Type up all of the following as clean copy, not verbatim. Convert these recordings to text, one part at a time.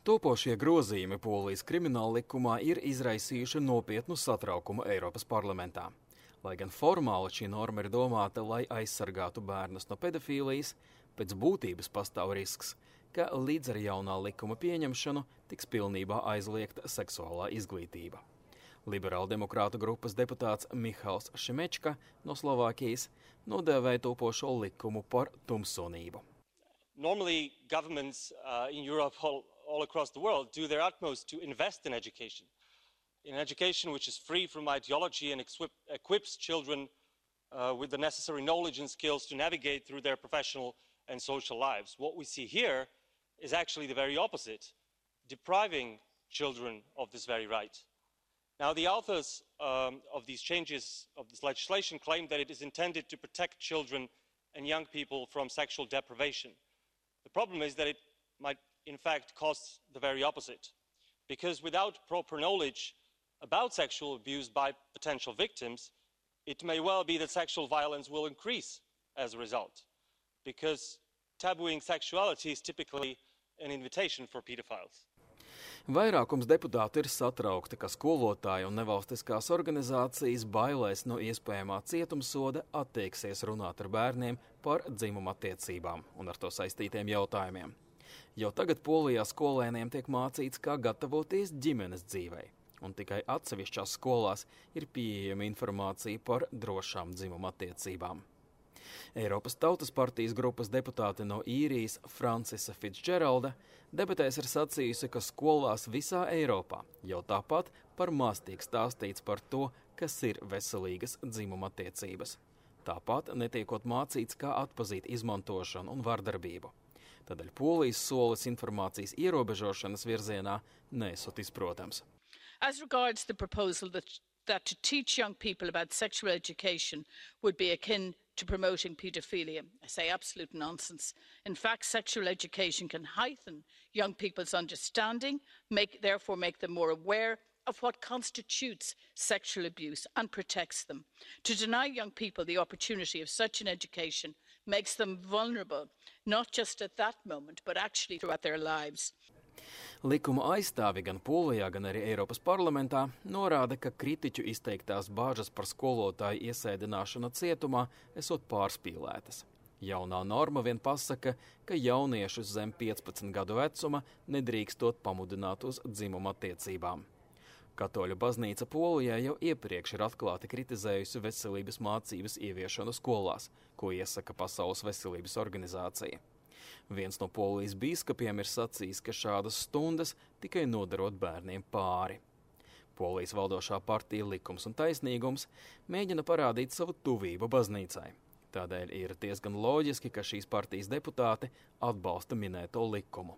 Topošie grozījumi Polijas krimināla likumā ir izraisījuši nopietnu satraukumu Eiropas parlamentā. Lai gan formāli šī norma ir domāta, lai aizsargātu bērnus no pedofīlijas, pēc būtības pastāv risks, ka līdz ar jaunā likuma pieņemšanu tiks pilnībā aizliegta seksuālā izglītība. Liberāldemokrātu grupas deputāts Mihails Šimečka no Slovākijas nodēvēja topošo likumu par tumsonību. Normally, governments in Europe all across the world do their utmost to invest in education which is free from ideology and equips children with the necessary knowledge and skills to navigate through their professional and social lives. What we see here is actually the very opposite, depriving children of this very right. Now, the authors of these changes of this legislation claim that it is intended to protect children and young people from sexual deprivation. The problem is that it might in fact cause the very opposite, because without proper knowledge about sexual abuse by potential victims, it may well be that sexual violence will increase as a result, because tabooing sexuality is typically an invitation for pedophiles. Vairākums deputātu ir satraukti, ka skolotāji un nevalstiskās organizācijas bailēs no iespējamā cietumsoda attieksies runāt ar bērniem par dzimuma attiecībām un ar to saistītiem jautājumiem. Jau tagad Polijā skolēniem tiek mācīts, kā gatavoties ģimenes dzīvei, un tikai atsevišķās skolās ir pieejama informācija par drošām dzimuma attiecībām. Eiropas Tautas partijas grupas deputāte no Īrijas Francisa Fitzgeralda debatēs ir sacījusi, ka skolās visā Eiropā jau tāpat par maz tiek stāstīts par to, kas ir veselīgas dzimuma attiecības. Tāpat netiekot mācīts, kā atpazīt izmantošanu un vardarbību. Tādēļ Polijas solis informācijas ierobežošanas virzienā nesot izprotams. As regards the proposal that to teach young people about sexual education would be akin to promoting paedophilia, I say absolute nonsense. In fact, sexual education can heighten young people's understanding, therefore make them more aware of what constitutes sexual abuse and protects them. To deny young people the opportunity of such an education makes them vulnerable, not just at that moment, but actually throughout their lives. Likuma aizstāvi gan Polijā, gan arī Eiropas parlamentā norāda, ka kritiķu izteiktās bāžas par skolotāju iesēdināšanu cietumā esot pārspīlētas. Jaunā norma vien pasaka, ka jauniešus zem 15 gadu vecuma nedrīkstot pamudināt uz dzimuma attiecībām. Katoļu baznīca Polijā jau iepriekš ir atklāti kritizējusi veselības mācības ieviešanu skolās, ko iesaka Pasaules veselības organizācija. Viens no Polijas bīskapiem ir sacījis, ka šādas stundas tikai nodarot bērniem pāri. Polijas valdošā partija Likums un taisnīgums mēģina parādīt savu tuvību baznīcai. Tādēļ ir diezgan loģiski, ka šīs partijas deputāti atbalsta minēto likumu.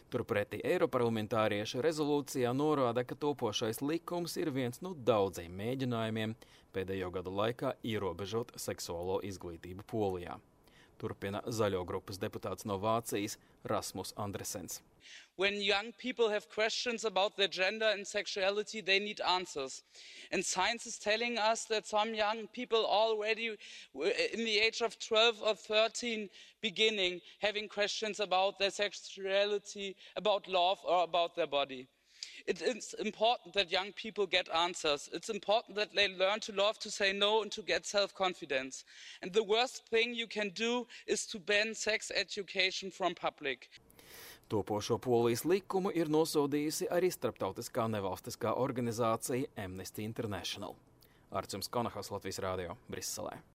Turpretī eiroparlamentārieši rezolūcijā norāda, ka topošais likums ir viens no daudziem mēģinājumiem pēdējo gadu laikā ierobežot seksuālo izglītību Polijā. Turpina Zaļo grupas deputāts no Vācijas Rasmus Andresens. When young people have questions about their gender and sexuality, they need answers. And science is telling us that some young people already in the age of 12 or 13 beginning having questions about their sexuality, about love or about their body. It is important that young people get answers. It's important that they learn to love, to say no and to get self-confidence. And the worst thing you can do is to ban sex education from public. Topošo Polijas likumu ir nosodījusi arī starptautiskā nevalstiskā organizācija Amnesty International. Arts jums Konahas, Latvijas Rādio, Briselē.